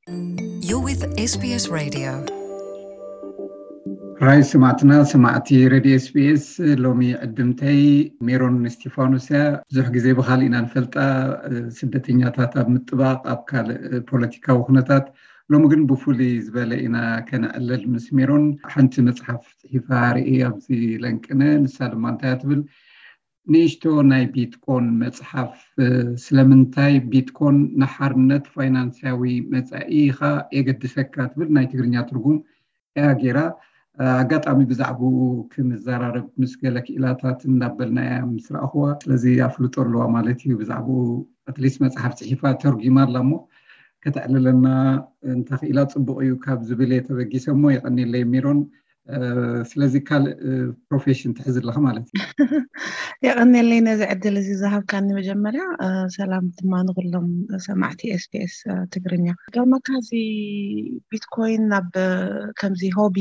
You're with S B S Radio. ራይ ስማዕትና ስማዕቲ ሬድዮ ኤስቢኤስ። ሎሚ ዕድምተይ ሜሮን እስቲፋኖስ እያ። ብዙሕ ግዜ ብካልእ ኢና ንፈልጣ፣ ስደተኛታት ኣብ ምጥባቕ፣ ኣብ ካልእ ፖለቲካዊ ኩነታት። ሎሚ ግን ብፍሉይ ዝበለ ኢና ከነዕልል ምስ ሜሮን። ሓንቲ መፅሓፍ ፅሒፋ ርኢ ኣብዚ ለንቅነ። ንሳ ድማ እንታይ እያ ትብል? ንእሽቶ ናይ ቢትኮን መፅሓፍ። ስለምንታይ ቢትኮን ንሓርነት ፋይናንሳዊ መፃኢኻ የገድሰካ ትብል ናይ ትግርኛ ትርጉም እያ ገይራ። ኣጋጣሚ ብዛዕባኡ ክንዘራረብ ምስ ገለ ክኢላታት እንዳበልና እያ ምስ ረኣኽዋ። ስለዚ ኣፍልጦ ኣለዋ ማለት እዩ ብዛዕባኡ። ኣትሊስት መፅሓፍ ፅሒፋ ተርጒማ ኣላ እሞ ከተዕልለና እንተኽኢላ ፅቡቕ እዩ ካብ ዝብል እየ ተበጊሰ እሞ የቐንየለይ ሜሮን። ስለዚ ካልእ ፕሮፌሽን ትሕዝ ኣለኻ ማለት እዩ። የቐንየለይ ነዚ ዕድል እዚ ዝሃብካኒ። መጀመርያ ሰላም ድማ ንኩሎም ሰማዕቲ ኤስቢኤስ ትግርኛ። ገርመካ እዚ ቢትኮይን ናብ ከምዚ ሆቢ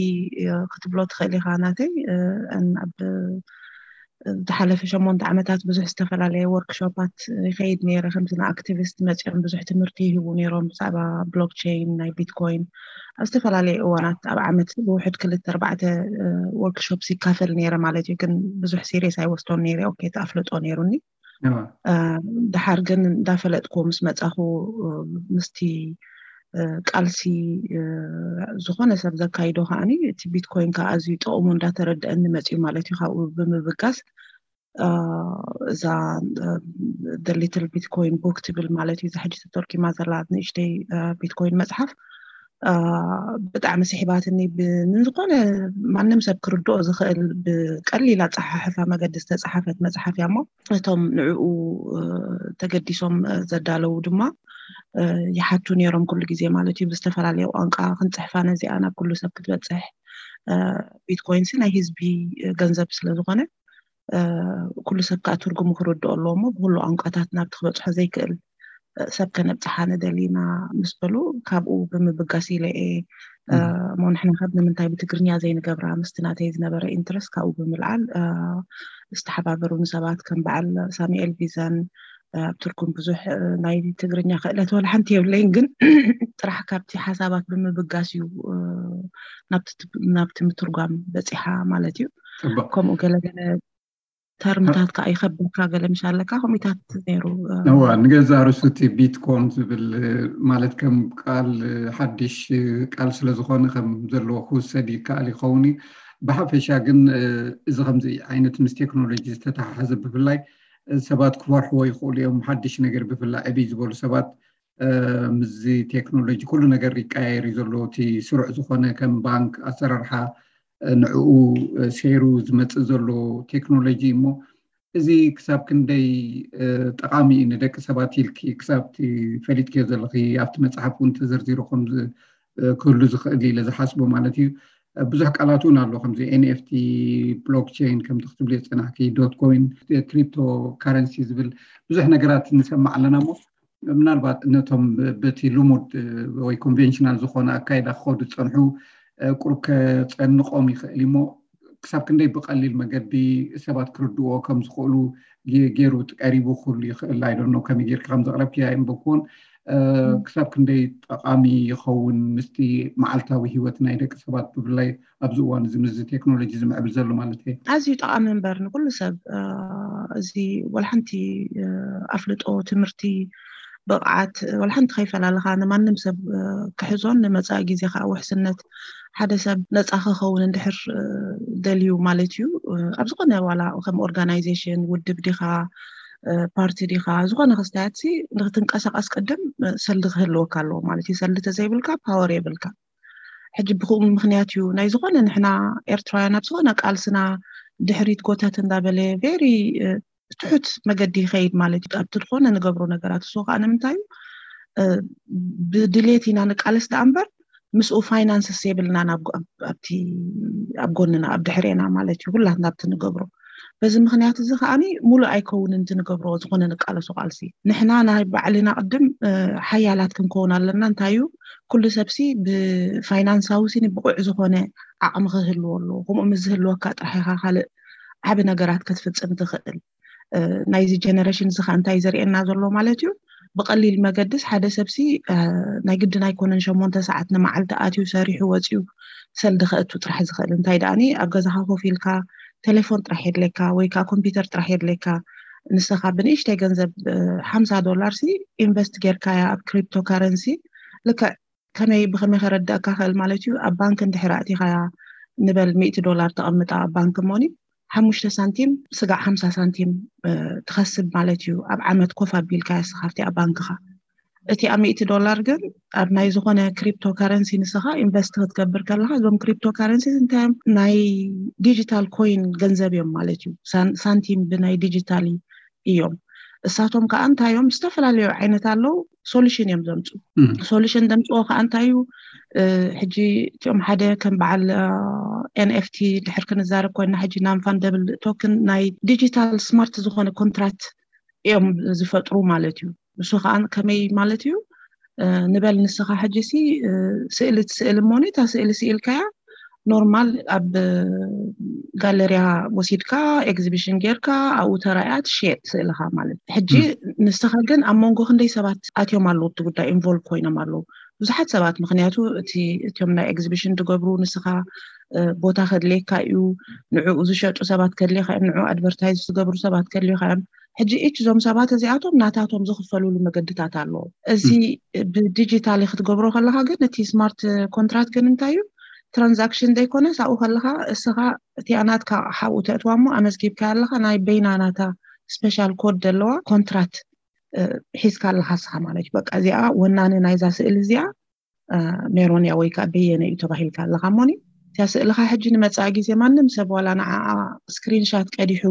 ክትብሎ ትኽእል ኢኻ ናተይ። ኣብ ዝሓለፈ ሸሞንተ ዓመታት ብዙሕ ዝተፈላለየ ወርክሾፓት ይኸይድ ነይረ። ከምዚ ንኣክቲቪስት መፂኦም ብዙሕ ትምህርቲ ይህቡ ነይሮም ብዛዕባ ብሎክቸይን፣ ናይ ቢትኮይን። ኣብ ዝተፈላለየ እዋናት ኣብ ዓመት ብውሕድ ክልተ ኣርባዕተ ወርክሾፕስ ይካፈል ነይረ ማለት እዩ። ግን ብዙሕ ሲሪየስ ኣይወስዶን ነይረ። ኦኬ፣ ተኣፍልጦ ነይሩኒ። ድሓር ግን እንዳፈለጥኩ ምስ መፃኹ ምስቲ ቃልሲ ዝኾነ ሰብ ዘካይዶ ከዓኒ እቲ ቢትኮይን ከዓ ኣዝዩ ጥቕሙ እንዳተረደአኒ መፅዩ ማለት እዩ። ካብኡ ብምብጋስ እዛ ሊትል ቢትኮይን ቡክ ትብል ማለት እዩ፣ እዛ ሕጂ ተተርኪማ ዘላ ንእሽተይ ቢትኮይን መፅሓፍ ብጣዕሚ ስሒባትኒ። ንዝኾነ ማንም ሰብ ክርድኦ ዝኽእል ብቀሊል ኣፀሓሕፋ መገዲ ዝተፀሓፈት መፅሓፍ እያ እሞ እቶም ንዕኡ ተገዲሶም ዘዳለዉ ድማ ይሓቱ ነይሮም ኩሉ ግዜ ማለት እዩ። ብዝተፈላለየ ቋንቋ ክንፅሕፋ ነዚኣ ናብ ኩሉ ሰብ ክትበፅሕ። ቢትኮይን ሲ ናይ ህዝቢ ገንዘብ ስለዝኾነ ኩሉ ሰብ ከዓ ትርጉሙ ክርድኦ ኣለዎ እሞ ብኩሉ ቋንቋታት ናብቲ ክበፅሖ ዘይክእል ሰብ ከነብፅሓ ንደሊ ኢና ምስ በሉ ካብኡ ብምብጋስ ኢለ እየ እሞ ንሕና ካብ ንምንታይ ብትግርኛ ዘይንገብራ ምስቲ ናተይ ዝነበረ ኢንትረስት ካብኡ ብምልዓል ዝተሓባበሩኒ ሰባት ከም በዓል ሳሙኤል ቪዛን ኣብ ትርጉም ብዙሕ ናይ ትግርኛ ክእለት ወላ ሓንቲ የብለይን ግን ጥራሕ ካብቲ ሓሳባት ብምብጋስ እዩ ናብቲ ምትርጓም በፂሓ ማለት እዩ። ከምኡ ገለገለ ተርምታት ከዓ ይኸብደካ ገለ ምሽ ኣለካ ከምኢታት ነይሩ። እዋ ንገዛ ርሱቲ ቢትኮን ዝብል ማለት ከም ቃል ሓድሽ ቃል ስለዝኾነ ከም ዘለዎ ክውሰድ ይከኣል ይኸውን እዩ። ብሓፈሻ ግን እዚ ከምዚ ዓይነት ምስ ቴክኖሎጂ ዝተተሓሓዘ ብፍላይ ሰባት ክፈርሕዎ ይኽእሉ እዮም። ሓድሽ ነገር ብፍላይ ዕብይ ዝበሉ ሰባት ምስዚ ቴክኖሎጂ ኩሉ ነገር ይቀያየር እዩ ዘሎ። እቲ ስሩዕ ዝኾነ ከም ባንክ ኣሰራርሓ ንዕኡ ሰይሩ ዝመፅእ ዘሎ ቴክኖሎጂ እሞ እዚ ክሳብ ክንደይ ጠቓሚ እዩ ንደቂ ሰባት ኢልኪ ክሳብ ፈሊጥክዮ ዘለኺ ኣብቲ መፅሓፍ እውን ተዘርዚሩ ከም ክህሉ ዝኽእል ኢለ ዝሓስቦ ማለት እዩ። ብዙሕ ቃላት እውን ኣሎ ከምዚ ኤንኤፍቲ፣ ብሎክቸይን ከምቲ ክትብልዮ ዝፀናሕኪ፣ ዶት ኮይን፣ ክሪፕቶ ካረንሲ ዝብል ብዙሕ ነገራት ንሰማዕ ኣለና እሞ ምናልባት ነቶም በቲ ልሙድ ወይ ኮንቬንሽናል ዝኾነ ኣካይዳ ክኸዱ ዝፀንሑ ቁሩብ ከፀንቆም ይኽእል እሞ ክሳብ ክንደይ ብቀሊል መገዲ ሰባት ክርድዎ ከም ዝኽእሉ ገይሩ ቀሪቡ ክህሉ ይኽእል ኣይደኖ ከመይ ጌርካ ከም ዘቕረብክያ ኣይንበኩዎን ክሳብ ክንደይ ጠቓሚ ይኸውን ምስቲ መዓልታዊ ህይወት ናይ ደቂ ሰባት ብፍላይ ኣብዚ እዋን እዚ ምስዚ ቴክኖሎጂ ዝምዕብል ዘሎ ማለት እየ። ኣዝዩ ጠቓሚ እምበር ንኩሉ ሰብ እዚ ወላ ሓንቲ ኣፍልጦ ትምህርቲ ብቕዓት ወላ ሓንቲ ከይፈላለኻ ንማንም ሰብ ክሕዞን ንመፃኢ ግዜ ከዓ ውሕስነት ሓደ ሰብ ነፃ ክኸውን እንድሕር ደልዩ ማለት እዩ ኣብ ዝኾነ ዋላ ከም ኦርጋናይዜሽን ውድብ ዲኻ ፓርቲ ዲኻ ዝኾነ ክስታያት ሲ ንክትንቀሳቀስ ቅድም ሰልዲ ክህልወካ ኣለዎ ማለት እዩ። ሰልዲ ተዘይብልካ ፓወር የብልካ። ሕጂ ብክኡ ምክንያት እዩ ናይ ዝኾነ ንሕና ኤርትራውያን ኣብ ዝኾነ ቃልስና ድሕሪት ጎተት እንዳበለ ቬሪ ትሑት መገዲ ይኸይድ ማለት እዩ ኣብቲ ዝኾነ ንገብሮ ነገራት። እሱ ከዓ ንምንታይ እዩ ብድሌት ኢና ንቃለስ ደኣ እምበር ምስኡ ፋይናንስስ የብልናን ኣብቲ ኣብ ጎንና ኣብ ድሕሬና ማለት እዩ ኩላትና ኣብቲ ንገብሮ። በዚ ምክንያት እዚ ከዓኒ ሙሉእ ኣይከውንን እቲ ንገብሮ ዝኾነ ንቃለሶ ቃልሲ። ንሕና ናይ ባዕልና ቅድም ሓያላት ክንከውን ኣለና። እንታይ እዩ ኩሉ ሰብሲ ብፋይናንሳዊ ሲኒ ብቑዕ ዝኾነ ዓቕሚ ክህልዎ ኣለዎ። ከምኡ ምስ ዝህልወካ ጥራሕ ኢኻ ካልእ ዓቢ ነገራት ክትፍጽም ትኽእል። ናይዚ ጀነሬሽን እዚ ከዓ እንታይ ዘርእየና ዘሎ ማለት እዩ ብቐሊል መገድስ ሓደ ሰብሲ ናይ ግድን ኣይኮነን ሸሞንተ ሰዓት ንመዓልቲ ኣትዩ ሰሪሑ ወፂኡ ሰልዲ ከእቱ ጥራሕ ዝኽእል። እንታይ ደኣኒ ኣብ ገዛኻ ኮፍ ኢልካ ቴሌፎን ጥራሕ የድለካ ወይ ከዓ ኮምፒውተር ጥራሕ የድለካ። ንስኻ ብንእሽተይ ገንዘብ ሓምሳ ዶላር ሲ ኢንቨስት ጌርካያ ኣብ ክሪፕቶ ካረንሲ ልክዕ ከመይ ብኸመይ ከረዳእካ ክእል ማለት እዩ። ኣብ ባንክ እንድሕር ኣእቲኻያ ንበል ሚእቲ ዶላር ተቐምጣ ኣብ ባንክ እሞኒ ሓሙሽተ ሳንቲም ስጋዕ ሓምሳ ሳንቲም ትኸስብ ማለት እዩ። ኣብ ዓመት ኮፍ ኣቢልካ ስኻፍቲ ኣብ ባንክኻ እቲ ኣብ ሚእቲ ዶላር ግን ኣብ ናይ ዝኾነ ክሪፕቶ ካረንሲ ንስኻ ኢንቨስት ክትገብር ከለኻ እዞም ክሪፕቶ ካረንሲ እንታይ ናይ ዲጂታል ኮይን ገንዘብ እዮም ማለት እዩ። ሳንቲም ብናይ ዲጂታል እዮም። እሳቶም ከዓ እንታይ እዮም ዝተፈላለዩ ዓይነት ኣለዉ። ሶሉሽን እዮም ዘምፅኡ። ሶሉሽን ዘምፅዎ ከዓ እንታይ እዩ? ሕጂ እቲኦም ሓደ ከም በዓል ኤንኤፍቲ ድሕር ክንዛረብ ኮይና ሕጂ ናን ፋንደብል ቶክን ናይ ዲጂታል ስማርት ዝኾነ ኮንትራክት እዮም ዝፈጥሩ ማለት እዩ። እሱ ከዓ ከመይ ማለት እዩ? ንበል ንስኻ ሕጂ ሲ ስእሊ ትስእል እሞኒ እታ ስእሊ ስኢልካያ ኖርማል ኣብ ጋለሪያ ወሲድካ ኤግዚቢሽን ጌርካ ኣብኡ ተራእያ ትሽየጥ ስእልኻ ማለት እዩ። ሕጂ ንስኻ ግን ኣብ መንጎ ክንደይ ሰባት ኣትዮም ኣለዉ እቲ ጉዳይ ኢንቮልቭ ኮይኖም ኣለዉ ብዙሓት ሰባት። ምክንያቱ እቲ እቲዮም ናይ ኤግዚቢሽን ትገብሩ ንስኻ ቦታ ከድልየካ እዩ፣ ንዕኡ ዝሸጡ ሰባት ከድልየካ እዮም፣ ንዕኡ ኣድቨርታይዝ ዝገብሩ ሰባት ከድልየካ እዮም። ሕጂ ኢች እዞም ሰባት እዚኣቶም ናታቶም ዝኽፈልሉ መገድታት ኣለዎ። እዚ ብዲጂታሊ ክትገብሮ ከለካ ግን እቲ ስማርት ኮንትራክት ግን እንታይ እዩ ትራንዛክሽን ዘይኮነ ሳብኡ ከለካ እስኻ እቲኣ ናትካ ሓብኡ ተእትዋ እሞ ኣመዝጊብካ ኣለካ ናይ በይና ናታ ስፔሻል ኮድ ዘለዋ ኮንትራክት ሒዝካ ኣለካ እስኻ ማለት እዩ። በቃ እዚኣ ወናኒ ናይዛ ስእል እዚኣ ሜሮን እያ ወይ ከዓ በየነ እዩ ተባሂልካ ኣለካ እሞኒ እቲያ ስእልካ ሕጂ ንመፃኢ ግዜ ማንም ሰብ ዋላ ንዓኣ ስክሪንሻት ቀዲሑ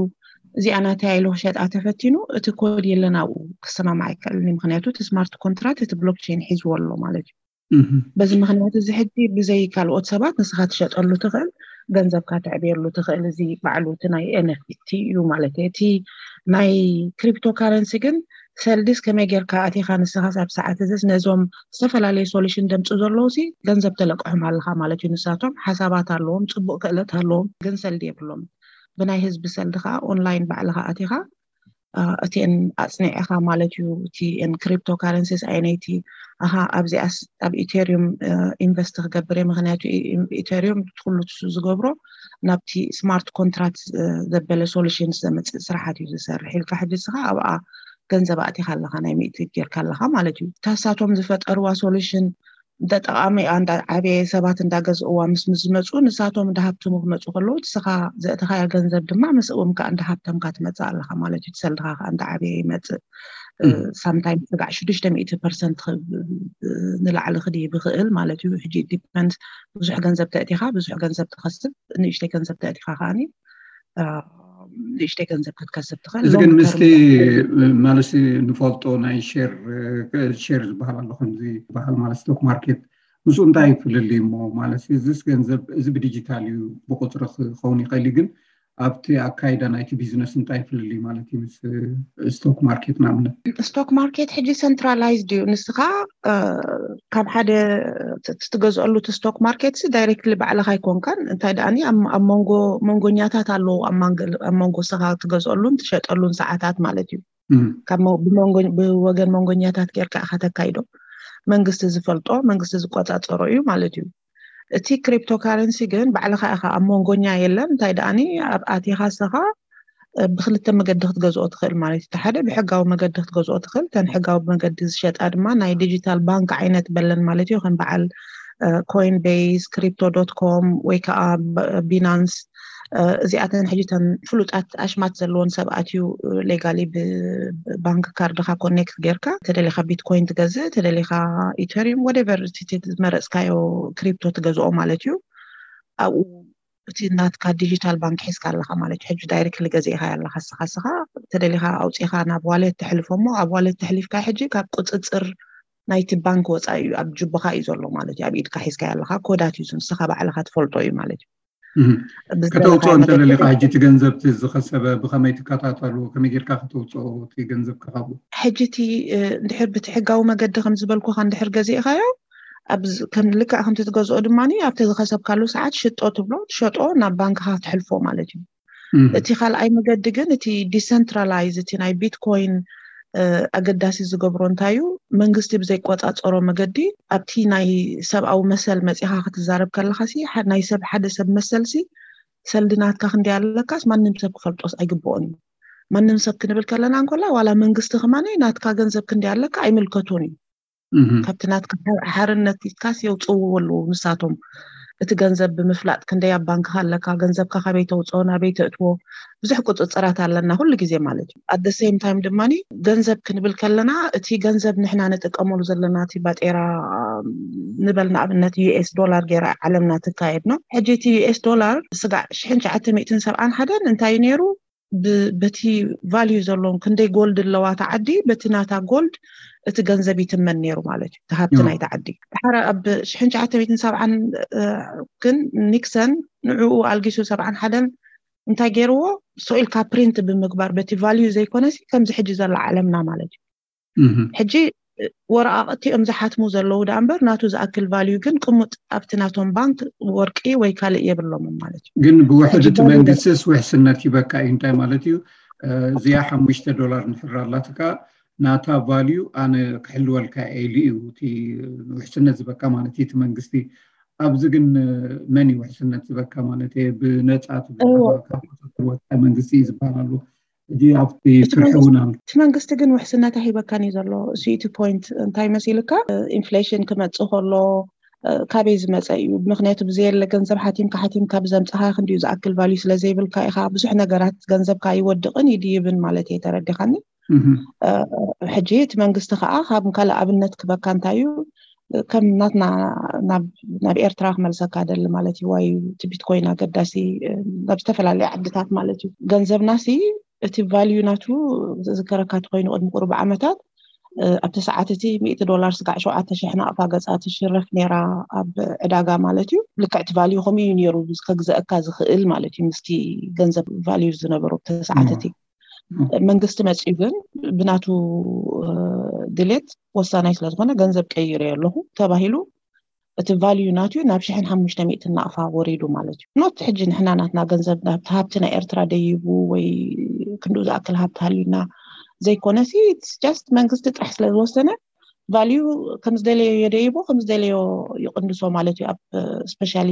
እዚኣ ናተያ ኢሉ ክሸጣ ተፈቲኑ እቲ ኮድ የለን ኣብኡ ክሰማማዕ ኣይከኣልን እዩ። ምክንያቱ እቲ ስማርት ኮንትራክት እቲ ብሎክቸይን ሒዝዎ ኣሎ ማለት እዩ። በዚ ምክንያት እዚ ሕጂ ብዘይ ካልኦት ሰባት ንስኻ ትሸጠሉ ትኽእል ገንዘብካ ተዕብየሉ ትኽእል እዚ ባዕሉ እቲ ናይ ኤንኤፍቲ እዩ ማለት እዩ። እቲ ናይ ክሪፕቶ ካረንሲ ግን ሰልድስ ከመይ ጌርካ ኣቲኻ ንስኻስ ኣብ ሰዓት እዚስ ነዞም ዝተፈላለዩ ሶሉሽን ደምፁ ዘለዉ ሲ ገንዘብ ተለቅሖም ኣለኻ ማለት እዩ። ንሳቶም ሓሳባት ኣለዎም፣ ፅቡቅ ክእለት ኣለዎም፣ ግን ሰልዲ የብሎም። ብናይ ህዝቢ ሰልዲ ከዓ ኦንላይን ባዕልኻ ኣቲኻ እቲኤን ኣፅኒዕኻ ማለት እዩ። እቲኤን ክሪፕቶ ካረንሲስ ኣይነይቲ ኣሃ ኣብዚኣስ ኣብ ኢቴሪዩም ኢንቨስት ክገብር እየ። ምክንያቱ ኢቴሪዩም ኩሉ ዝገብሮ ናብቲ ስማርት ኮንትራክት ዘበለ ሶሉሽን ዘመፅእ ስራሓት እዩ ዝሰርሕ ኢልካ ሕጂ ስኻ ኣብኣ ገንዘብ ኣእቲኻ ኣለኻ ናይ ሚእቲ ጌርካ ኣለኻ ማለት እዩ። ታሳቶም ዝፈጠርዋ ሶሉሽን እንተጠቓሚ ኣንዳ ዓበየ ሰባት እንዳገዝእዋ ምስ ምስ ዝመፁ ንሳቶም እንዳሃብተሙ ክመፁ ከለዉ ንስኻ ዘእተኻያ ገንዘብ ድማ ምስእዎም ከዓ እንዳሃብተምካ ትመፅእ ኣለኻ ማለት እዩ። ትሰልድኻ ከዓ እንዳዓበየ ይመፅእ። ሳምታይም ስጋዕ ሽዱሽተ ሚእቲ ፐርሰንት ንላዕሊ ክድይብ ይኽእል ማለት እዩ። ሕጂ ዲፐንድ ብዙሕ ገንዘብ ተእቲኻ ብዙሕ ገንዘብ ትኸስብ፣ ንእሽተይ ገንዘብ ተእቲኻ ከዓኒ ንእሽተይ ገንዘብ ክትከስብ ትኽእል። እዚ ግን ምስቲ ማለት ንፈልጦ ናይ ሼር ሼር ዝበሃል ኣሎ ከምዚ ዝበሃል ማለት ስቶክ ማርኬት ምስኡ እንታይ ይፍልል እሞ ማለት እዚስ ገንዘብ እዚ ብዲጂታል እዩ ብቁፅሪ ክኸውን ይኽእል እዩ ግን ኣብቲ ኣካይዳ ናይቲ ቢዝነስ እንታይ ይፍልል ማለት እዩ ምስ ስቶክ ማርኬት ንኣብነት? ስቶክ ማርኬት ሕጂ ሰንትራላይዝድ እዩ። ንስኻ ካብ ሓደ ትገዝአሉ እቲ ስቶክ ማርኬት ዳይሬክትሊ ባዕልኻ ኣይኮንካን። እንታይ ደኣ ኣብ መንጎ መንጎኛታት ኣለዉ ኣብ መንጎ ስኻ ትገዝአሉን ትሸጠሉን ሰዓታት ማለት እዩ። ካብ ብወገን መንጎኛታት ጌርካ ኢኻ ተካይዶ። መንግስቲ ዝፈልጦ መንግስቲ ዝቆፃፀሮ እዩ ማለት እዩ። እቲ ክሪፕቶ ካረንሲ ግን ባዕልኻ ኢኻ ኣብ መንጎኛ የለን። እንታይ ደኣኒ ኣብ ኣቲኻ ስኻ ብክልተ መገዲ ክትገዝኦ ትኽእል ማለት እዩ። ሓደ ብሕጋዊ መገዲ ክትገዝኦ ትኽእል። ተን ሕጋዊ መገዲ ዝሸጣ ድማ ናይ ዲጂታል ባንክ ዓይነት በለን ማለት እዩ። ከም በዓል ኮይን ቤይስ፣ ክሪፕቶ ዶት ኮም ወይ ከዓ ቢናንስ እዚኣተን ሕጂ ተን ፍሉጣት ኣሽማት ዘለዎን ሰባት እዩ ሌጋሊ ብባንክ ካርድካ ኮኔክት ጌርካ ተደሊካ ቢትኮይን ትገዝእ ተደሊካ ኢተሪም ወደቨር ዝመረፅካዮ ክሪፕቶ ትገዝኦ ማለት እዩ። ኣብኡ እቲ ናትካ ዲጂታል ባንክ ሒዝካ ኣለካ ማለት እዩ። ሕጂ ዳይሬክትሊ ገዚእካ ኣለካ ስኻ ስኻ ተደሊካ ኣውፂኻ ናብ ዋሌት ተሕልፎ እሞ ኣብ ዋሌት ተሕሊፍካ ሕጂ ካብ ቁፅፅር ናይቲ ባንክ ወፃኢ እዩ ኣብ ጅቦካ እዩ ዘሎ ማለት እዩ። ኣብ ኢድካ ሒዝካ ኣለካ ኮዳት እዩ ንስኻ ባዕልካ ትፈልጦ እዩ ማለት እዩ። ከተውፅኦ እንተደሊካ ሕጂ እቲ ገንዘብ ዝኸሰበ ብከመይ ትከታተሉ ከመይ ጌርካ ከተውፅኦ እቲ ገንዘብ ካብኡ? ሕጂ እቲ እንድሕር ብቲ ሕጋዊ መገዲ ከም ዝበልኩካ እንድሕር ገዚእካዮ ልክዕ ከምቲ ትገዝኦ ድማ ኣብቲ ዝኸሰብካሉ ሰዓት ሽጦ ትብሎ ትሸጦ ናብ ባንክካ ትሕልፎ ማለት እዩ። እቲ ካልኣይ መገዲ ግን እቲ ዲሰንትራላይዝ እቲ ናይ ቢትኮይን ኣገዳሲ ዝገብሮ እንታይ እዩ? መንግስቲ ብዘይቆፃፀሮ መገዲ ኣብቲ ናይ ሰብኣዊ መሰል መፂኻ ክትዛረብ ከለኻሲ፣ ናይ ሰብ፣ ሓደ ሰብ መሰልሲ፣ ሰልዲ ናትካ ክንደይ ኣለካስ ማንም ሰብ ክፈልጦስ ኣይግብኦን እዩ። ማንም ሰብ ክንብል ከለና እንኮላ ዋላ መንግስቲ ከማነይ ናትካ ገንዘብ ክንደይ ኣለካ ኣይምልከቶን እዩ። ካብቲ ናትካ ሓርነት ኢትካስ የውፅእዎ ኣለዉ ንሳቶም። እቲ ገንዘብ ብምፍላጥ ክንደይ ኣብ ባንክካ ኣለካ፣ ገንዘብካ ካበይ ተውፅኦ፣ ናበይ ተእትዎ፣ ብዙሕ ቁፅፅራት ኣለና ኩሉ ግዜ ማለት እዩ። ኣደ ሴም ታይም ድማ ገንዘብ ክንብል ከለና እቲ ገንዘብ ንሕና ንጥቀመሉ ዘለና እቲ ባጤራ ንበል ንኣብነት ዩኤስ ዶላር ገይራ ዓለምና ትካየድ ነው። ሕጂ እቲ ዩኤስ ዶላር ስጋዕ ሽሕን ትሽዓተ ሚእትን ሰብዓን ሓደን እንታይ ነይሩ? በቲ ቫልዩ ዘለዎም ክንደይ ጎልድ ኣለዋ እታ ዓዲ፣ በቲ ናታ ጎልድ እቲ ገንዘብ ይትመን ነይሩ ማለት እዩ፣ እቲ ሃብቲ ናይታ ዓዲ። ድሓር ኣብ ሽሕን ትሽዓተ ሚእትን ሰብዓን ግን ኒክሰን ንዕኡ ኣልጊሱ ሰብዓን ሓደን እንታይ ገይርዎ? ሶኢልካ ፕሪንት ብምግባር በቲ ቫልዩ ዘይኮነሲ ከምዚ ሕጂ ዘላ ዓለምና ማለት እዩ። ሕጂ ወረቃቅቲ እዮም ዝሓትሙ ዘለዉ ዳ እምበር ናቱ ዝኣክል ቫልዩ ግን ቅሙጥ ኣብቲ ናቶም ባንክ ወርቂ ወይ ካልእ የብሎምን ማለት እዩ። ግን ብውሕድ እቲ መንግስቲስ ውሕስነት ይበካ እዩ። እንታይ ማለት እዩ? እዚኣ ሓሙሽተ ዶላር ንሕር ኣላትካ ናታ ቫልዩ ኣነ ክሕልወልካ ኢሉ እዩ እቲ ውሕስነት ዝበካ ማለት እዩ እቲ መንግስቲ። ኣብዚ ግን መን እዩ ውሕስነት ዝበካ ማለት እየ? ብነፃ ትብልወፃ መንግስቲ እዩ ዝበሃል ኣሎ። እዚ ኣብቲ ፍርሒ እውን ኣሎ። እቲ መንግስቲ ግን ውሕስነት ኣይበካን እዩ ዘሎ። እሱ እቲ ፖይንት እንታይ መሲልካ? ኢንፍሌሽን ክመፅእ ከሎ ካበይ ዝመፀ እዩ? ምክንያቱ ብዘየለ ገንዘብ ሓቲምካ ሓቲምካ ብዘምፅኻ ክንዲዩ ዝኣክል ቫልዩ ስለዘይብልካ ኢኻ ብዙሕ ነገራት ገንዘብካ ይወድቕን ይድይብን ማለት እየ። ተረዲኻኒ? ሕጂ እቲ መንግስቲ ከዓ ካብ ካልእ ኣብነት ክበካ እንታይ እዩ? ከም ናትና ናብ ኤርትራ ክመልሰካ ደሊ ማለት እዩ። ዋይ እቲ ቢትኮይን ኣገዳሲ ናብ ዝተፈላለዩ ዓድታት ማለት እዩ። ገንዘብናሲ እቲ ቫልዩ ናቱ ዝዝከረካ ተኮይኑ ቅድሚ ቁሩብ ዓመታት ኣብቲ ሰዓት እቲ ሚእቲ ዶላር ስጋዕ ሸውዓተ ሽሕ ናቕፋ ገፃ ትሽረፍ ነይራ ኣብ ዕዳጋ ማለት እዩ። ልክዕ እቲ ቫልዩ ከምኡ እዩ ነይሩ ከግዘአካ ዝኽእል ማለት እዩ ምስቲ ገንዘብ ቫልዩ ዝነበሩ ኣብቲ ሰዓት እቲ። መንግስቲ መፂኡ ግን ብናቱ ድሌት ወሳናይ ስለዝኮነ ገንዘብ ቀይረ ኣለኹ ተባሂሉ እቲ ቫልዩ ናትዩ ናብ ሽሕን ሓሙሽተ ሚእትን ናቕፋ ወሪዱ ማለት እዩ። ኖት ሕጂ ንሕና ናትና ገንዘብ ናብቲ ሃብቲ ናይ ኤርትራ ደይቡ ወይ ክንድኡ ዝኣክል ሃብቲ ሃልዩና ዘይኮነ ሲ ስ ጃስት መንግስቲ ጥራሕ ስለዝወሰነ ቫልዩ ከምዝደለዮ የደይቦ ከምዝደለዮ ይቅንሶ ማለት እዩ። ኣብ ስፔሻሊ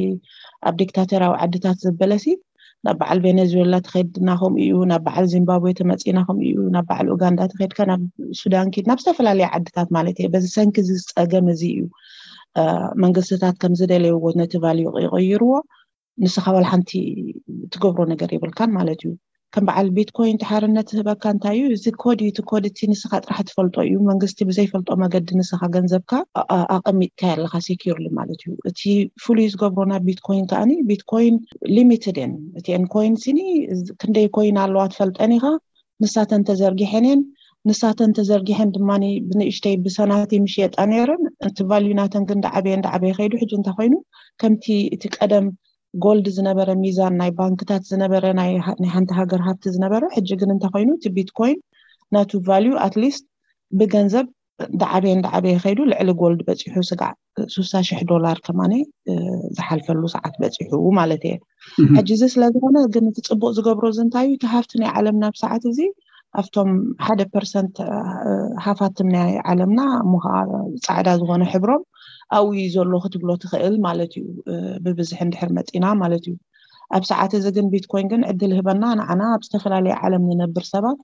ኣብ ዲክታተራዊ ዓድታት ዝበለሲ ናብ በዓል ቬኔዙዌላ ተኸድና ከምኡ እዩ፣ ናብ በዓል ዚምባብዌ ተመፂና ከምኡ እዩ፣ ናብ በዓል ኡጋንዳ ተኸድካ ናብ ሱዳን ኪድ ናብ ዝተፈላለዩ ዓድታት ማለት እየ። በዚ ሰንኪ እዚ ፀገም እዚ እዩ መንግስትታት ከም ዝደለይዎ ነቲ ቫልዩ ይቀይርዎ። ንስኻ ዋላ ሓንቲ ትገብሮ ነገር የብልካን ማለት እዩ። ከም በዓል ቢትኮይን ተሓርነት ዝህበካ እንታይ እዩ? እዚ ኮድ እዩ። እቲ ኮድ እቲ ንስኻ ጥራሕ ትፈልጦ እዩ። መንግስቲ ብዘይፈልጦ መገዲ ንስኻ ገንዘብካ ኣቐሚጥካ ኣለካ ሴኪርሊ ማለት እዩ። እቲ ፍሉይ ዝገብሮ ናብ ቢትኮይን ከዓኒ ቢትኮይን ሊሚትድ እየን እቲአን ኮይን ሲኒ ክንደይ ኮይን ኣለዋ ትፈልጠን ኢኻ። ንሳተን ተዘርጊሐን እየን። ንሳተን ተዘርጊሐን ድማ ብንእሽተይ ብሰናቲ ምሽየጣ ነይረን። እቲ ቫልዩ ናተን ግን እንዳዓበየ እንዳዓበየ ከይዱ ሕጂ እንታይ ኮይኑ ከምቲ እቲ ቀደም ጎልድ ዝነበረ ሚዛን ናይ ባንክታት ዝነበረ ናይ ሓንቲ ሃገር ሃብቲ ዝነበረ ሕጂ ግን እንታይ ኮይኑ እቲ ቢትኮይን ናቱ ቫልዩ ኣትሊስት ብገንዘብ እንዳዓበየ እንዳዓበየ ከይዱ ልዕሊ ጎልድ በፂሑ ስጋዕ ሱሳ ሽሕ ዶላር ከማነ ዝሓልፈሉ ሰዓት በፂሑ ማለት እየ። ሕጂ እዚ ስለዝኮነ ግን እቲ ፅቡቅ ዝገብሮ እዚ እንታይ እዩ? እቲ ሃፍቲ ናይ ዓለምና ኣብ ሰዓት እዚ ኣብቶም ሓደ ፐርሰንት ሃፋትም ናይ ዓለምና እሞ ከዓ ፃዕዳ ዝኮነ ሕብሮም ኣብኡ እዩ ዘሎ ክትብሎ ትኽእል ማለት እዩ። ብብዝሒ እንድሕር መፂና ማለት እዩ። ኣብ ሰዓት እዚ ግን ቢትኮይን ግን ዕድል ህበና ንዓና ኣብ ዝተፈላለየ ዓለም ንነብር ሰባት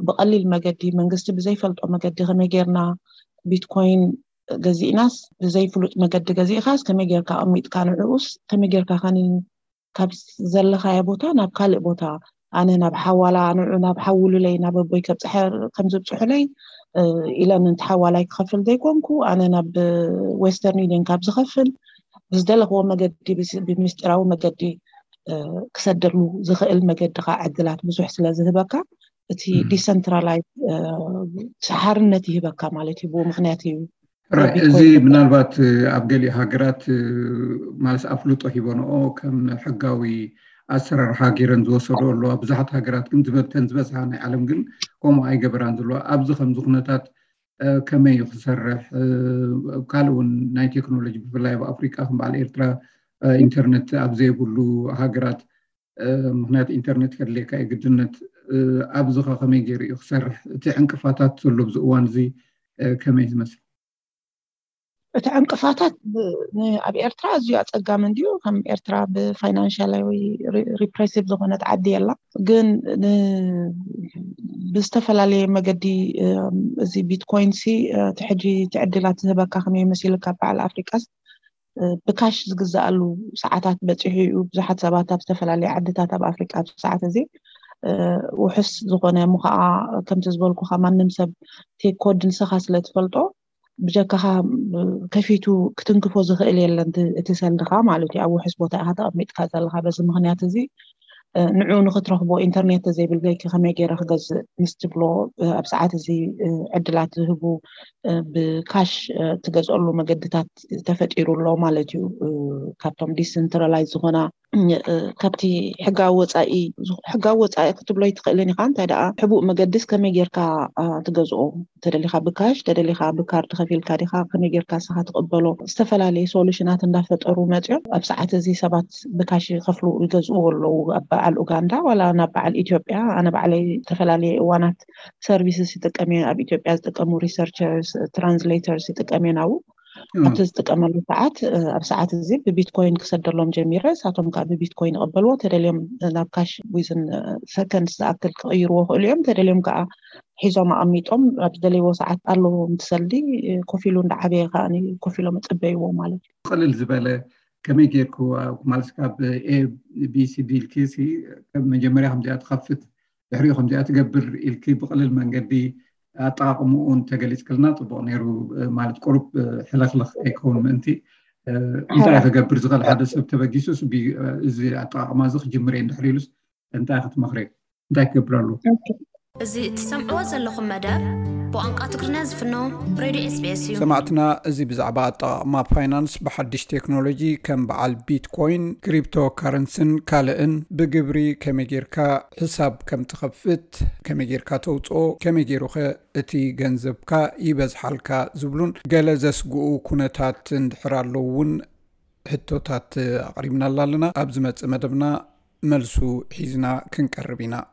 ብቐሊል መገዲ መንግስቲ ብዘይፈልጦ መገዲ ከመይ ጌርና ቢትኮይን ገዚእናስ ብዘይፍሉጥ መገዲ ገዚእካስ ከመይ ጌርካ ኣቐሚጥካ ንዕኡስ ከመይ ጌርካ ከኒ ካብ ዘለኻዮ ቦታ ናብ ካልእ ቦታ ኣነ ናብ ሓዋላ ንዑ ናብ ሓውሉለይ ናብ ኣቦይ ከብፅሐ ከም ዝብፅሑለይ ኢለን እንተ ሓዋላይ ክኸፍል ዘይኮንኩ ኣነ ናብ ዌስተርን ዩኒየን ካብ ዝኸፍል ብዝደለኽዎ መገዲ ብምስጢራዊ መገዲ ክሰደሉ ዝኽእል መገዲ ከዓ ዕድላት ብዙሕ ስለ ዝህበካ እቲ ዲሰንትራላይዝ ሓርነት ይህበካ ማለት እዩ። ብኡ ምክንያት እዩ እዚ ምናልባት ኣብ ገሊኡ ሃገራት ማለት ኣፍልጦ ሂቦንኦ ከም ሕጋዊ ኣሰራርሓ ገይረን ዝወሰዶ ኣለዋ። ብዙሓት ሃገራት ግን ዝበተን ዝበዝሓ ናይ ዓለም ግን ከምኡ ኣይገበራን ዘለዋ። ኣብዚ ከምዚ ኩነታት ከመይ እዩ ክሰርሕ? ካልእ እውን ናይ ቴክኖሎጂ ብፍላይ ኣብ ኣፍሪቃ ከም በዓል ኤርትራ ኢንተርነት ኣብ ዘይብሉ ሃገራት ምክንያቱ ኢንተርነት ከድልየካ እዩ ግድነት ኣብዚ ከ ከመይ ገይሩ እዩ ክሰርሕ? እቲ ዕንቅፋታት ዘሎ ኣብዚ እዋን እዚ ከመይ ዝመስል? እቲ ዕንቅፋታት ኣብ ኤርትራ ኣዝዩ ኣፀጋሚ እንድዩ። ከም ኤርትራ ብፋይናንሻላዊ ሪፕሬሲቭ ዝኾነት ዓዲ የላ። ግን ብዝተፈላለየ መገዲ እዚ ቢትኮይን ሲ እቲ ሕጂ እቲ ዕድላት ዝህበካ ከመይ መሲሉ ካብ በዓል ኣፍሪቃስ ብካሽ ዝግዛኣሉ ሰዓታት በፂሑ እዩ። ብዙሓት ሰባት ኣብ ዝተፈላለየ ዓድታት ኣብ ኣፍሪቃ ኣብ ሰዓት እዚ ውሑስ ዝኾነ ምኸዓ ከምቲ ዝበልኩካ ማንም ሰብ ቴክ ኮድ ንስኻ ስለ ትፈልጦ ብጀካኻ ከፊቱ ክትንክፎ ዝኽእል የለን እቲ ሰልድኻ ማለት እዩ። ኣብ ውሑስ ቦታ ኢኻ ተቐሚጥካ ዘለኻ። በዚ ምክንያት እዚ ንዑ ንክትረኽቦ ኢንተርኔት ዘይብልገይኪ ከመይ ገይረ ክገዝእ ምስ ትብሎ ኣብ ሰዓት እዚ ዕድላት ዝህቡ ብካሽ ትገዝኦሉ መገድታት ተፈጢሩ ኣሎ ማለት እዩ። ካብቶም ዲሰንትራላይዝ ዝኾና ካብቲ ሕጋዊ ወፃኢ ሕጋዊ ወፃኢ ክትብሎ ይትኽእልን ኢኻ። እንታይ ደኣ ሕቡእ መገድስ ከመይ ጌርካ ትገዝኦ? ተደሊኻ ብካሽ ተደሊኻ ብካርድ ከፊልካ ዲኻ ከመይ ጌርካ ስኻ ትቕበሎ? ዝተፈላለየ ሶሉሽናት እንዳፈጠሩ መፅኦም ኣብ ሰዓት እዚ ሰባት ብካሽ ከፍሉ ይገዝእዎ ኣለዉ። ኣብ በዓል ኡጋንዳ ዋላ ናብ በዓል ኢትዮጵያ ኣነ ባዕለይ ዝተፈላለየ እዋናት ሰርቪስስ ይጥቀም እየ። ኣብ ኢትዮጵያ ዝጥቀሙ ሪሰርቸርስ ትራንስሌተርስ ይጥቀም እየ ናብኡ ኣብቲ ዝጥቀመሉ ሰዓት ኣብ ሰዓት እዚ ብቢትኮይን ክሰደሎም ጀሚረ። እሳቶም ከዓ ብቢትኮይን ይቐበልዎ ተደልዮም ናብ ካሽ ዊዝን ሰከንድ ዝኣክል ክቕይርዎ ክእሉ እዮም። ተደልዮም ከዓ ሒዞም ኣቐሚጦም ኣብ ዝደለይዎ ሰዓት ኣለዎም ትሰልዲ ኮፍ ኢሉ እንዳዓበየ ከዓ ኮፍ ኢሎም ይፅበይዎ ማለት እዩ። ቅልል ዝበለ ከመይ ጌርኩ ማለት ካብ ኤቢሲዲ ኢልኪ መጀመርያ ከምዚኣ ትኸፍት ድሕሪኡ ከምዚኣ ትገብር ኢልኪ ብቕልል መንገዲ ኣጠቃቕምኡ እንተገሊፅክልና ፅቡቕ ነይሩ። ማለት ቁሩብ ሕልኽልኽ ኣይከውን ምእንቲ እንታይ ክገብር ዝኽእል ሓደ ሰብ ተበጊሱስ እዚ ኣጠቃቕማ እዚ ክጅምር እየ እንድሕር ኢሉስ እንታይ ክትመኽሪ? እንታይ ክገብር ኣለዎ? እዚ እትሰምዕዎ ዘለኹም መደብ ብቋንቋ ትግርኛ ዝፍኖ ሬድዮ ኤስቢኤስ እዩ። ሰማዕትና፣ እዚ ብዛዕባ ኣጠቓቕማ ፋይናንስ ብሓድሽ ቴክኖሎጂ ከም በዓል ቢትኮይን፣ ክሪፕቶ ካረንስን ካልእን ብግብሪ ከመይ ጌርካ ሕሳብ ከም ትኸፍት፣ ከመይ ጌርካ ተውፅኦ፣ ከመይ ገይሩኸ እቲ ገንዘብካ ይበዝሓልካ ዝብሉን ገለ ዘስግኡ ኩነታት እንድሕር ኣለዉ እውን ሕቶታት ኣቕሪብናላ ኣለና። ኣብ ዝመጽእ መደብና መልሱ ሒዝና ክንቀርብ ኢና።